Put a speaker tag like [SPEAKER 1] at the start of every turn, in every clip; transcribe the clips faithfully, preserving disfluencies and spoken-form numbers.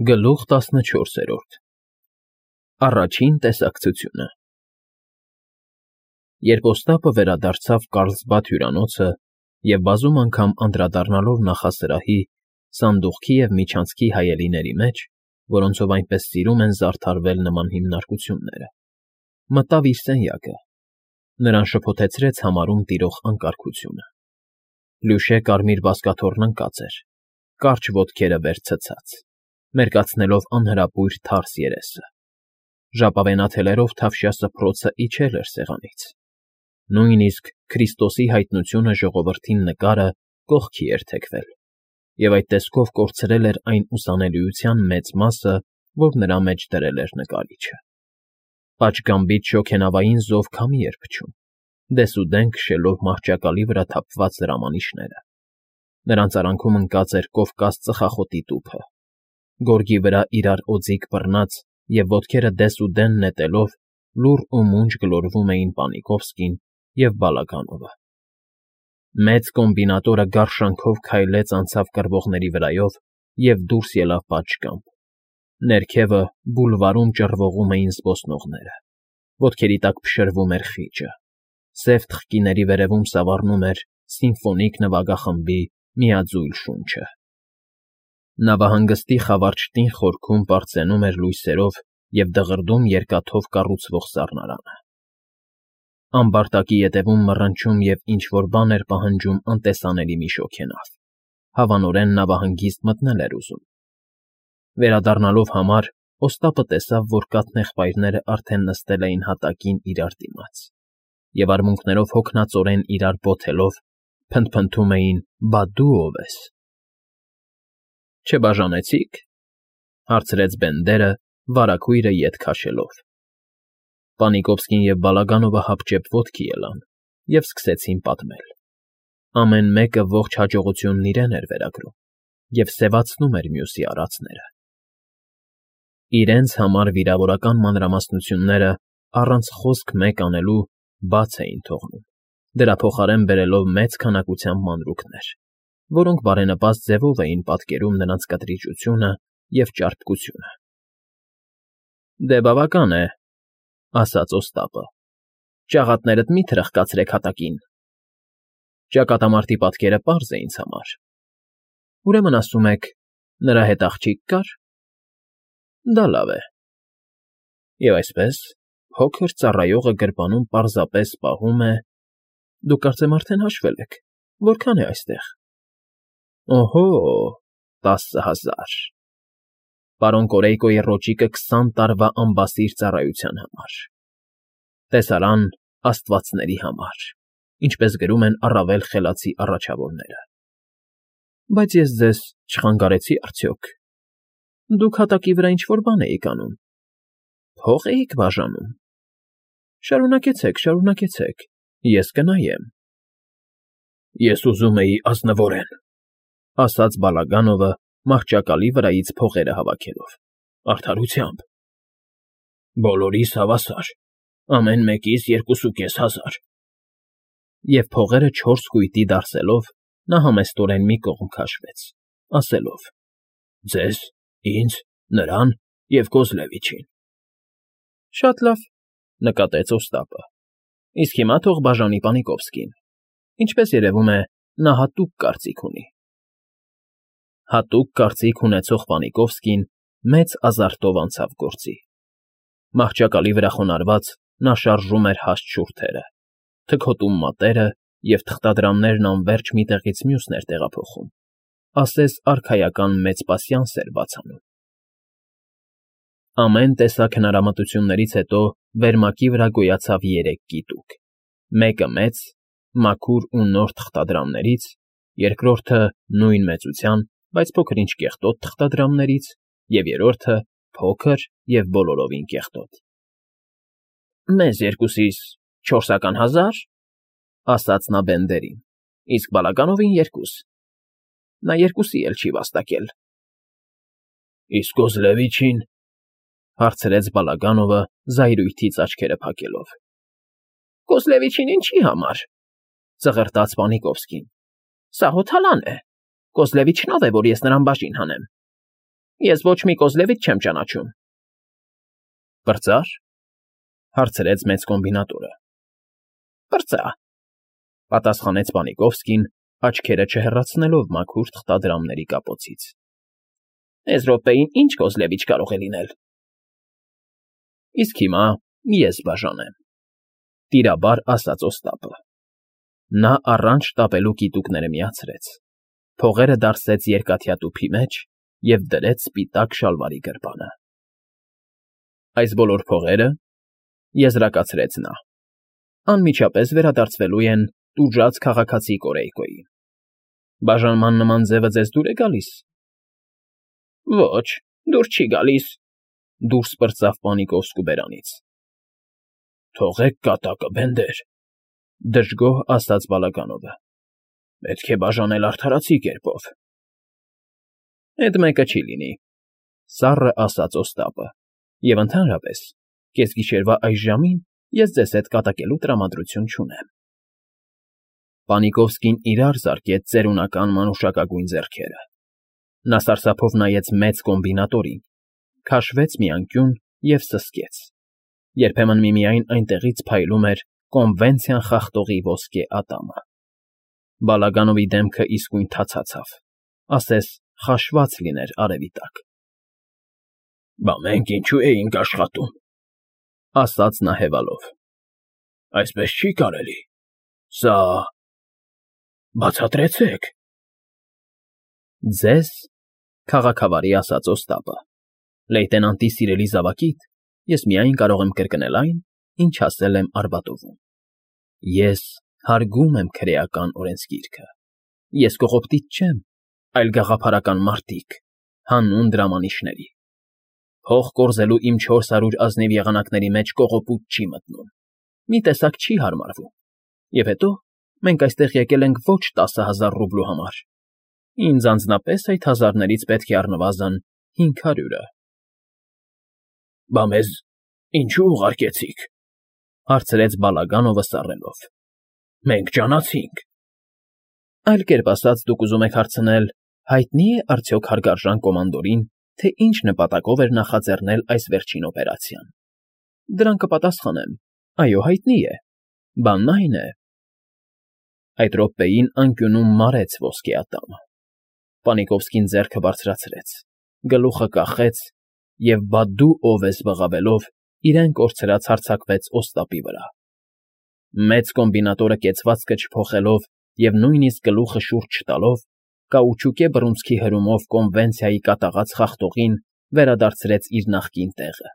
[SPEAKER 1] Գլուխ տասնչորսերորդ Առաջին տեսակցությունը Երբ Օստապը վերադարձավ Կարլսբադ հյուրանոցը և բազում անգամ անդրադառնալով նախասրահի, սանդուղքի և միջանցքի հայելիների մեջ, որոնցով այնպես սիրում են զարդարվել նման հիմնարկությունները, մտավ իր սենյակը, նրան շփոթեցրեց համարում տիրող անկարգությունը. Պլյուշե կարմիր բազկաթոռն ընկած էր, կարճ ոտքերը վեր ցցած, մերկացնելով անհրապույր թարս երեսը, ժապավենաթելերով թավշյա սփռոցը իջել էր սեղանից, նույնիսկ Քրիստոսի հայտնությունը ժողովրդին նկարը կողքի էր թեքվել, և այդ տեսքով կորցրել էր այն ուսանելիության մեծ մասը, որ նրա մեջ դրել էր նկարիչը. պատշգամբից շոգենավային զով քամի էր փչում, դեսուդեն քշելով մահճակալի վրա թափված հրամանիշները, նրանց արանքում ընկած էր Կովկաս ծխախոտի տուփը, գորգի վրա իրար օձիք բռնած և ոտքերը դեսուդեն նետելով լուռ ու մունջ գլորվում էին Պանիկովսկին և Բալագանովը։ Մեծ կոմբինատորը գարշանքով քայլեց անցավ կռվողների վրայով և դուրս ելավ պատշգամբ, ներքևը բուլվարում ճռվողում էին զբոսնողները, ոտքերի տակ փշրվում էր խիճը, սև թխկիների վերևում սավառնում էր սիմֆոնիկ նվագախմբի միաձույլ շունչը։ Նավահանգստի խավար տին խորքում պարծենում էր լույսերով և դղրդում երկաթով կառուցվող սառնարանը։ Ամբարտակի ետևում մռնչում և ինչ֊որ բան էր պահանջում անտեսանելի մի շոգենավ, հավանորեն նավահանգիստ մտնել էր ուզում։ Վերադառնալով համար, Օստապը տեսավ, որ կաթնեղբայրները արդեն նստել էին հատակին իրար դիմաց և արմունկներով հոգնածորեն իրար բոթելով, փնթփնթում էին. «Բա դու ո՞վ ես»։ Չբաժանեցի՞ք,֊ հարցրեց Բենդերը, վարագույրը ետ քաշելով։ Պանիկովսկին և Բալագանովը հապճեպ ոտքի ելան և սկսեցին պատմել. ամեն մեկը ողջ հաջողությունն իրեն էր վերագրում և սևացնում էր մյուսի արածները։ Իրենց համար վիրավորական մանրամասնությունները առանց խոսք մեկ անելու բաց էին թողնում, դրա փոխարեն բերելով մեծ քանակությամբ մանրուքներ, որոնք բարենպաստ ձևով էին պատկերում նրանց կտրիճությունը և ճարպկությունը։ «Դե բավական է,֊ ասաց Օստապը,֊ ճաղատներդ մի՛ թրխկացրեք հատակին. ճակատամարտի պատկերը պարզ է ինձ համար։ Ուրեմն ասում եք, նրա հետ աղջիկ կա՞ր։ Դա լավ է։ Եվ այսպես, փոքր ծառայողը գրպանում պարզապես պահում է… Դուք կարծեմ արդեն հաշվել եք, որքան է այստեղ։ Օհո՜, տասը հազար… Պարոն Կորեյկոյի ռոճիկը քսան տարվա անբասիր ծառայության համար… Տեսարան Աստվածների համար, ինչպես գրում են առավել խելացի առաջավորները։ Բայց ես ձեզ չխանգարեցի՞ արդյոք… Դուք հատակի վրա ինչ֊որ բան էիք անում… Փող էիք բաժանում… Շարունակեցեք, շարունակեցեք, ես կնայեմ։ Ես ուզում էի ազնվորեն,֊ ասաց Բալագանովը, մահճակալի վրայից փողերը հավաքելով,֊ արդարությամբ… Բոլորիս հավասար, ամեն մեկիս երկուսուկես հազար… Եվ փողերը չորս կույտի դարսելով, նա համեստորեն մի կողմ քաշվեց, ասելով. ձեզ, ինձ, նրան և Կոզլևիչին։ Շատ լավ,֊ նկատեց Օստապը,֊ իսկ հիմա թող բաժանի Պանիկովսկին… Ինչպես երևում է, նա հատուկ կարծիք ունի։ Հատուկ կարծիք ունեցող Պանիկովսկին մեծ ազարտով անցավ գործի։ Մահճակալի վրա խոնարհված, նա շարժում էր հաստ շուրթերը, թքոտում մատերը և թղթադրամներն անվերջ մի տեղից մյուսն էր տեղափոխում, ասես արքայական մեծ պասյանս էր բաց անում։ Ամեն տեսակ հնարամտություններից հետո վերմակի վրա գոյացավ երեք կիտիկ, մեկը մեծ, մաքուր ու նոր թղթադրամներից, երկրորդը նույն մեծության, բայց փոքր֊ինչ կեղտոտ թղթադրամներից, և երրորդը փոքր և բոլորովին կեղտոտ։ Մեզ երկուսիս չորսական հազար,֊ ասաց նա Բենդերին,֊ իսկ Բալագանովին երկուս… Նա երկուսի էլ չի վաստակել։ Իսկ Կոզլևիչին,֊ հարցրեց Բալագանովը, զայրույթից աչքերը փակելով։ Կոզլևիչին ինչի համար,֊ ծղրտաց Պանիկովսկին,֊ սա հոթալան է… Կոզլևիչն ո՞վ է, որ ես նրան բաժին հանեմ։ Ես ոչ մի Կոզլևիչ չեմ ճանաչում։ Պրծա՞ր,֊ հարցրեց մեծ կոմբինատորը։ Պրծա,֊ պատասխանեց Պանիկովսկին, աչքերը չհեռացնելով մաքուր թղթադրամների կապոցից։ Էս րոպեին ինչ Կոզլևիչ կարող է լինել։ Իսկ հիմա ես բաժանեմ,֊ տիրաբար ասաց Օստապը։ Նա առանց շտապելու կիտուկները միացրեց, փողերը դարսեց երկաթյա տուփի մեջ և դրեց սպիտակ շալվարի գրպանը։ Այս բոլոր փողերը,֊ եզրակացրեց նա,֊ անմիջապես վերադարձվելու են տուժած քաղաքացի Կորեյկոյին։ Բաժանման նման ձևը ձեզ դուր է գալի՞ս։ Ոչ, դուր չի գալիս,֊ դուրս պրծավ Պանիկովսկու բերանից։ Թողեք կատակը, Բենդեր,֊ դժգոհ ասաց Բալագանովը։ Պետք է բաժանել արդարացի կերպով։ Էդ մեկը չի լինի,֊ սառը ասաց Օստապը, և ընդհանրապես, կեսգիշերվա այս ժամին ես ձեզ հետ կատակելու տրամադրություն չունեմ։ Պանիկովսկին իրար զարկեց ծերունական մանուշակագույն ձեռքերը։ Նա սարսափով նայեց մեծ կոմբինատորին, քաշվեց մի անկյուն և սսկեց։ Երբեմն միմիայն այնտեղից փայլում էր կոնվենցիան խախտողի ոսկե ատամը։ Բալագանովի դեմքը իսկույն թացացավ, ասես խաշված լիներ արևի տակ։ Բա մենք ինչո՞ւ էինք աշխատում,֊ ասաց նա հևալով։ Այսպես չի կարելի։ Սա… Բացատրեցեք։ Ձեզ,֊ քաղաքավարի ասաց Օստապը, լեյտենանտի սիրելի զավակիդ ես միայն կարող եմ կրկնել այն, ինչ ասել եմ Արբատովում։ Ես հարգում եմ քրեական օրենսգիրքը։ Ես կողոպտիչ չեմ, այլ գաղափարական մարտիկ, հանուն դրամանիշների։ Փող կորզելու իմ չորս հարյուր ազնիվ եղանակների մեջ կողոպուտ չի մտնում, մի տեսակ չի հարմարվում։ Եվ հետո մենք այստեղ եկել ենք ոչ տասը հազար ռուբլու համար։ Ինձ անձնապես այդ հազարներից պետք է առնվազն հինգ հարյուրը։ Բա մեզ ինչո՞ւ ուղարկեցիք,֊ հարցրեց Բալագանովը սառելով։ Մենք ջանացինք։ Այլ կերպ ասած, դուք ուզում եք հարցնել, հայտնի՞ է արդյոք հարգարժան կոմանդորին, թե ինչ նպատակով էր նախաձեռնել այս վերջին օպերացիան։ Դրան կպատասխանեմ. այո, հայտնի է։ Բանն այն է… Այդ րոպեին անկյունում մարեց ոսկե ատամը։ Պանիկովսկին ձեռքը բարձրացրեց, գլուխը կախեց և «Բա դու ով ես» բղավելով իրեն կորցրած հարձակվեց Օստապի վրա։ Մեծ կոմբինատորը կեցվածքը չփոխելով և նույնիսկ գլուխը շուրջ չտալով, կաուչուկե բռունցքի հրումով կոնվենցիայի կատաղած խախտողին վերադարձրեց իր նախկին տեղը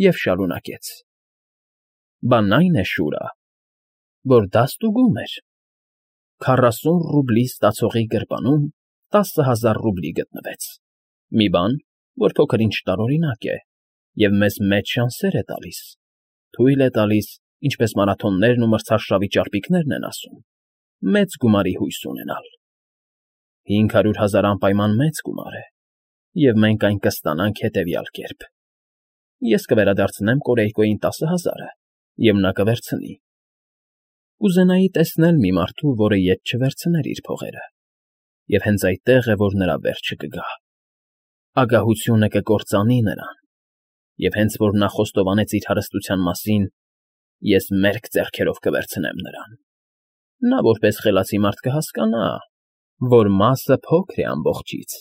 [SPEAKER 1] և շարունակեց. Բանն այն է, Շուրա, որ դա ստուգում էր։ Քառասուն ռուբլի ստացողի գրպանում տասը հազար ռուբլի գտնվեց։ Մի բան, որ փոքր-ինչ տարօրինակ է և մեզ մեծ շանսեր է տալիս, թույլ է տալիս, ինչպես մարաթոններն ու մրցարշավի ճարպիկներն են ասում, մեծ գումարի հույս ունենալ։ Հինգ հարյուր հազար անպայման մեծ գումար է, և մենք այն կստանանք հետևյալ կերպ. ես կվերադարձնեմ Կորեյկոյին տասը հազարը, և նա կվերցնի։ Կուզենայի տեսնել մի մարդու, որը ետ չվերցներ իր փողերը, և հենց այդտեղ է, որ նրա վերջը կգա։ Ագահությունը կկործանի նրան, և հենց որ նա խոստովանեց իր հարստության մասին, ես մերկ ձեռքերով կվերցնեմ նրան։ Նա որպես խելացի մարդ կհասկանա, որ մասը փոքր է ամբողջից,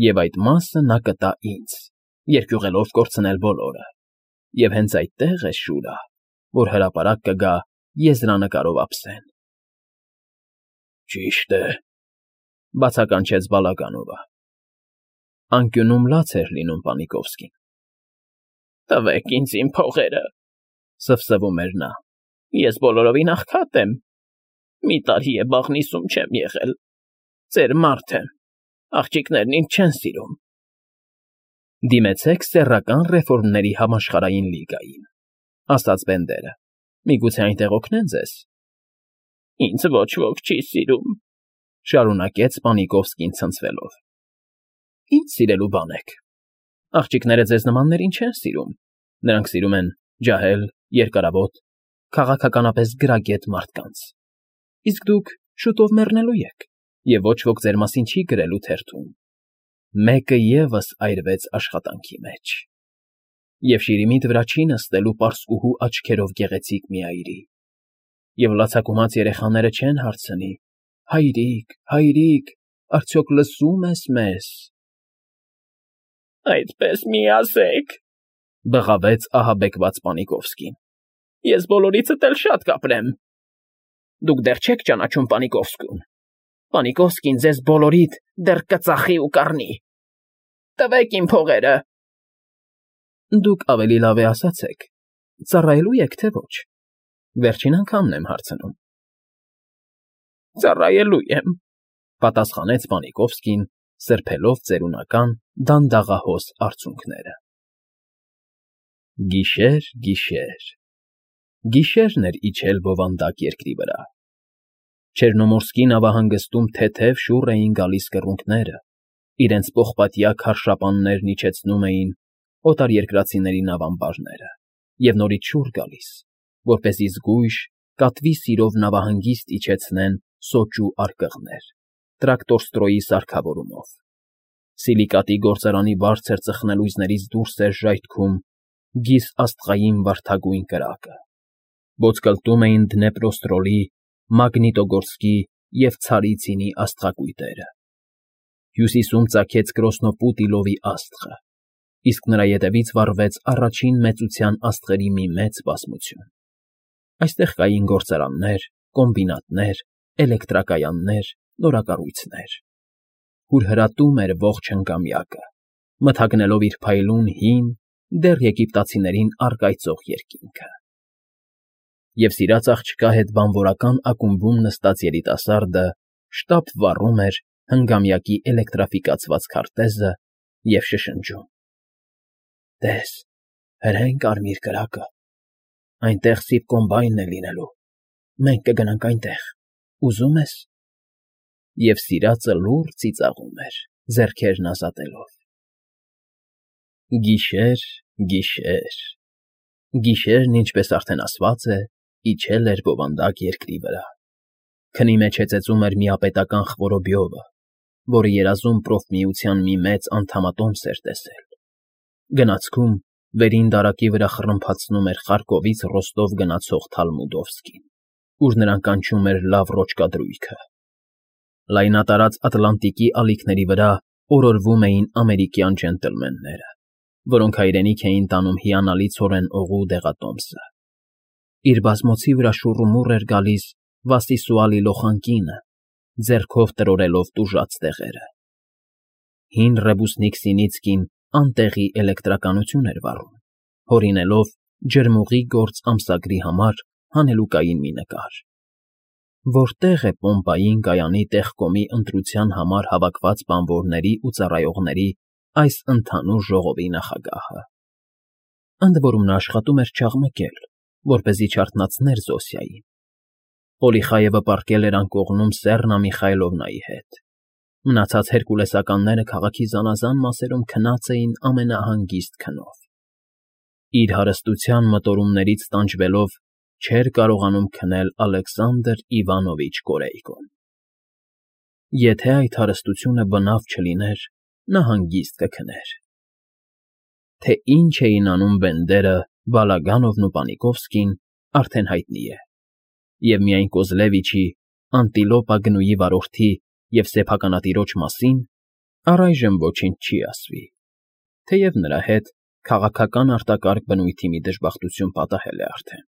[SPEAKER 1] և այդ մասը նա կտա ինձ, երկյուղելով կորցնել բոլորը։ Եվ հենց այդտեղ է, Շուրա, որ հրապարակ կգա եզրանկարով ափսեն։ Ճիշտ է,֊ բացականչեց Բալագանովը։ Անկյունում լաց էր լինում Պանիկովսկին։ Տվեք ինձ իմ փողերը,֊ սվսվում էր նա։ Ես բոլորովին աղքատ եմ։ Մի տարի է բաղնիցում չեմ եղել։ Ձեր մարդ եմ, աղջիկներն ինձ չեն սիրում։ Դիմեցեք Սեռական ռեֆորմների համաշխարհային լիգային,֊ ասաց Բենդերը։ Միգուցե այնտեղ օգնեն ձեզ։ Ինձ ոչ ոք չի սիրում,֊ շարունակեց Պանիկովսկին ցնցվելով։ Ինչ սիրելու բան եք։ Աղջիկները ձեզ նմաններին չեն սիրում։ Նրանք սիրում են ջահել, երկարավոտ, քաղաքականապես գրագետ մարդկանց։ Իսկ դուք շուտով մեռնելու եք, և ոչ ոք ձեր մասին չի գրելու թերթում։ մեկը ևս այրվեց աշխատանքի մեջ։ Եվ շիրիմիտ վրա չի նստելու պարսկուհու աչքերով գեղեցիկ մի այրի, և լացակումած երեխաները չեն հարցնի. «Հայրիկ, հայրիկ, արդյոք լսո՞ւմ ես մեզ»։ «Այդպես մի ասեք,֊ բղավեց ահաբեկված Պանիկովսկին,֊ ես բոլորիցդ էլ շատ կապրեմ։ Դուք դեռ չեք ճանաչում Պանիկովսկուն. Պանիկովսկին ձեզ բոլորիդ դեռ կծախի ու կառնի։ Տվեք իմ փողերը»։ Դուք ավելի լավ է ասացեք, ծառայելու եք, թե ոչ, վերջին անգամն եմ հարցնում։ Ծառայելու եմ,֊ պատասխանեց Պանիկովսկին, սրբելով ծերունական դանդաղահոս արցունքները։ Գիշեր, գիշեր, գիշերն էր իջել բովանդակ երկրի վրա։ Չեռնոմորսկի նավահանգստում թեթև շուռ էին գալիս կռունկները, իրենց պողպատյա քարշապաններն իջեցնում էին օտարերկրացիների նավամբարները, և նորից շուռ գալիս, որպեսզի զգույշ, կատվի սիրով նավահանգիստ իջեցնեն սոճու արկղներ, տրակտորստրոյի սարքավորումով։ Սիլիկատի գործարանի բարձր ծխնելույզներից դուրս էր ժայթքում գիզ աստղային վարդագույն կրակը, ոսկլտում էին Դնեպրոստրոլի, Մագնիտոգորսկի և Ցարիցինի աստղակույտերը։ Հյուսիսում ծագեց Կրոսնոպուտիլովի աստղը, իսկ նրա ետևից վառվեց առաջին մեծության աստղերի մի մեծ բազմություն։ Այստեղ կային գործարաններ, կոմբինատներ, էլեկտրակայաններ, նորակառույցներ։ Հուրհրատում էր ողջ հնգամյակը, մթագնելով իր փայլուն հին, դեռ եգիպտացիներին առկայծող երկինքը։ Եվ սիրած աղջկա հետ բանվորական ակումբում նստած երիտասարդը շտապ վառում էր հնգամյակի էլեկտրաֆիկացված քարտեզը և շշնջում. «Տես, հրեն կարմիր կրակը, այնտեղ սիպկոմբայնն է լինելու, մենք կգնանք այնտեղ, ուզո՞ւմ ես»։ Եվ սիրածը լուռ ծիծաղում էր, ձեռքերն ազատելով։ Գիշեր, գիշեր, գիշերն, ինչպես արդեն ասված է, իջել էր բովանդակ երկրի վրա։ Քնի մեջ հեծեծում էր միապետական Խվորոբյովը, որը երազում պրոֆմիության մի մեծ անդամատոմս էր տեսել։ Գնացքում վերին դարակի վրա խռմփացնում էր Խարկովից Ռոստով գնացող Թալմուդովսկին, ուր նրան կանչում էր լավ ռոճկադրույքը։ Լայնատարած Ատլանտիկի ալիքների վրա օրորվում էին ամերիկյան ջենտլմենները, որոնք հայրենիք էին տանում հիանալի ցորեն օղու դեղատոմսը։ Իր բազմոցի վրա շուռումուռ էր գալիս Վասիսուալի լոխանկինը, ձեռքով տրորելով տուժած տեղերը։ Հին Ռեբուսնիկ Սինիցկին անտեղի էլեկտրականություն էր վառում, հորինելով ջրմուղի գործ ամսագրի համար հանելուկային մի նկար։ Որտե՞ղ է Պոմպային կայանի տեխկոմի ընտրության համար հավաքված բանվորների ու ծառայողների այս ընդհանուր ժողովի նախագահը։ Ընդ որում նա աշխատում էր չաղմկել, որպեսզի չարթնացներ Զոսիային։ Պոլիխայևը պառկել էր անկողնում Սեռնա Միխայլովնայի հետ։ Մնացած հերկուլեսականները քաղաքի զանազան մասերում քնած էին ամենահանգիստ քնով։ Իր հարստության մտորումներից տանջվելով չէր կարողանում քնել Ալեքսանդր Իվանովիչ Կորեյկոն։ Եթե այդ հարստությունը բնավ չլիներ, նա հանգիստ կքներ։ Թե ինչ էին անում Բենդերը, Բալագանովն ու Պանիկովսկին, արդեն հայտնի է, և միայն Կոզլևիչի, Անտիլոպա գնուի վարորդի և սեփականատիրոջ մասին առայժմ ոչինչ չի ասվի, թեև նրա հետ քաղաքական արտակարգ բնույթի մի դժբախտություն պատահել է արդեն։